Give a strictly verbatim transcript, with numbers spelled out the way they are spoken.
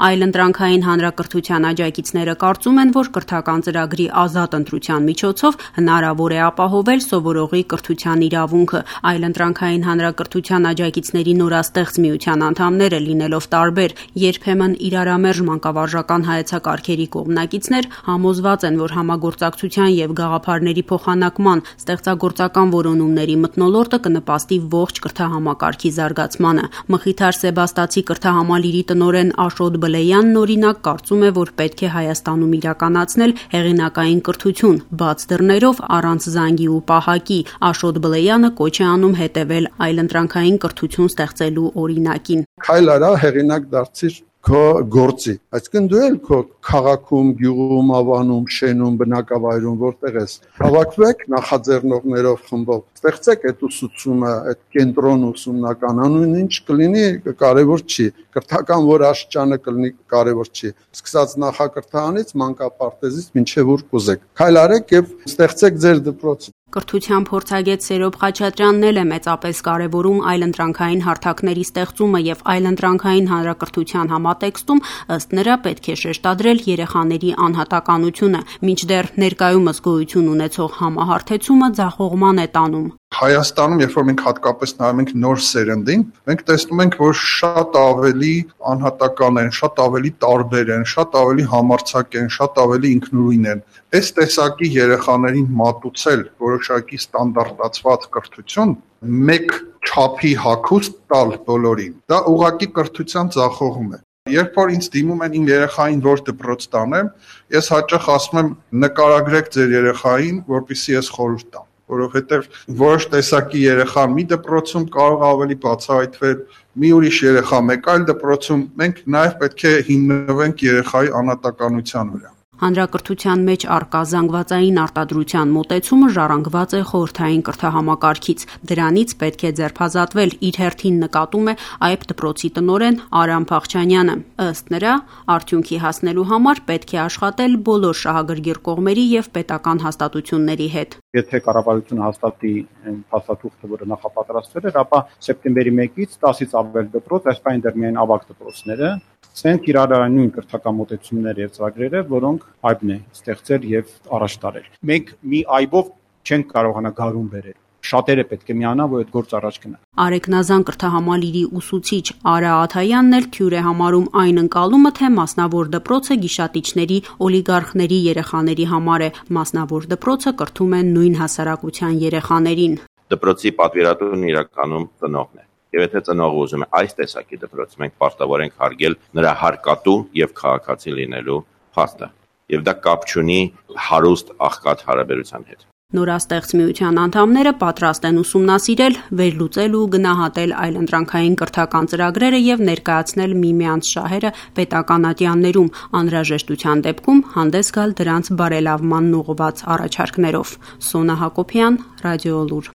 Այլընտրանքային հանրակրթության աջակիցները կարծում են, որ կրթական ծրագրի ազատ ընտրության միջոցով հնարավոր է ապահովել սովորողի կրթության իրավունքը։ Այլընտրանքային հանրակրթության աջակիցների նորաստեղծ միության անդամները լինելով տարբեր, երբեմն իրարամերժ մանկավարժական հայեցակարգերի կողմնակիցներ, համոզված են, որ համագործակցության եւ գաղափարների փոխանակման ստեղծագործական որոնումների մթնոլորտը կնպաստի ողջ կրթահամակարգի զարգացմանը։ Մխիթար Սեբաստացի կրթահամալիրի տնօրեն Աշոտ Բլեյանն օրինակ կարծում է, որ պետք է Հայաստանում իրականացնել հեղինակային կրթություն, բաց դռներով, առանց զանգի ու պահակի։ Աշոտ Բլեյանը կոչ է անում հետևել այլընտրանքային կրթություն ստեղծելու օրինակին։ Քայլ արա, հեղինակ դարձիր քո գործի, այսինքն դու էլ քո քաղաքում, գյուղում, ավանում, շենում, բնակավայրում որտեղ ես, հավաքվեք նախաձեռնողներով խմբով, ստեղծեք այդ ուսուցումը, այդ կենտրոն ուսումնական, անուն ինչ կլինի, կարևոր չի, կրթական որ աստիճանը կլինի, կարևոր չի, սկսած նախակրթարանից, մանկապարտեզից մինչև ուր կուզեք, քայլ արեք եւ ստեղծեք ձեր դպրոցը։ Կրթության փորձագետ Սերոբ Խաչատրյանն էլ է մեծապես կարևորում այլընտրանքային հարթակների ստեղծումը եւ այլընտրանքային հանրակրթության համատեքստում ըստ նրա պետք է շեշտադրել երեխաների անհատականությունը, մինչդեռ ներկայումս գոյություն ունեցող համահարթեցումը ձախողման է տանում։ Հայաստանում, երբ որ մենք հատկապես նայում ենք նոր սերնդին, մենք տեսնում ենք, որ շատ ավելի անհատական են, շատ ավելի տարբեր են, շատ ավելի համարձակ են, շատ ավելի ինքնուրույն են։ Այս տեսակի երեխաներին մատուցել որոշակի ստանդարտացված կրթություն, մեկ չափի հագուստ տալ բոլորին, դա ուղղակի կրթության ձախողում է։ Երբ որ ինձ դիմում են իմ երեխային որ դպրոց տանեմ, ես հաճախ ասում եմ նկարագրեք ձեր երեխային, որպեսզի ես խորհուրդ տամ, որովհետև որոշ տեսակի երեխան մի դպրոցում կարող ավելի բացահայտվել, մի ուրիշ երեխա մեկ այլ դպրոցում, մենք նաև պետք է հիմնվենք երեխայի անհատականության վրա։ Հանրակրթության մեջ առկա զանգվածային արտադրության մոտեցումը ժառանգված է խորհրդային կրթահամակարգից։ Դրանից պետք է ձերբազատվել, իր հերթին նկատում է այբ դպրոցի տնօրեն Արամ Փախչանյանը։ Ըստ նրա, արդյունքի հասնելու համար պետք է աշխատել բոլոր շահագրգիռ կողմերի եւ պետական հաստատությունների հետ։ Եթե կառավարությունը հաստատի փաստաթուղթը, որը նախապատրաստվել էր, ապա սեպտեմբերի մեկից տասից ավել դպրոց, այսպես դեռ միայն ավագ դպրոցները, ցենք իրար նույն կրթական մոտեցումներ եւ ծրագրերը, որոնք այբն է ստեղծել եւ առաջ տարել։ Մենք մի այբով չենք կարողանա գարուն բերել։ Շատերը պետք է միանան, որ այդ գործը առաջ գնա։ Արեգնազան կրթահամալիրի ուսուցիչ Արա Աթայանն էլ թյուր է համարում այն ընկալումը, թե մասնավոր դպրոցը գիշատիչների, օլիգարխների երեխաների համար է, մասնավոր դպրոցը կրթում են նույն հասարակության երեխաներին։ Դպրոցի պատվիրատուն իրականում ծնողն է։ Եվ եթե ծնողը ուզում է այս տեսակի դպրոց, մենք պարտավոր ենք հարգել նրա հարկատու եւ քաղաքացի լինելու փաստը։ Եվ դա կապ չունի հարուստ աղքատ հարաբերության հետ։ Նորաստեղծ միության անդամները պատրաստ են ուսումնասիրել, վերլուծել ու գնահատել այլընտրանքային կրթական ծրագրերը եւ ներկայացնել միմյանց շահերը պետական ատյաններում, անհրաժեշտության դեպքում հանդես գալ դրանց բարելավմանն ուղղված առաջարկներով։ Սոնա Հակոբյան, Ռադիոլուր։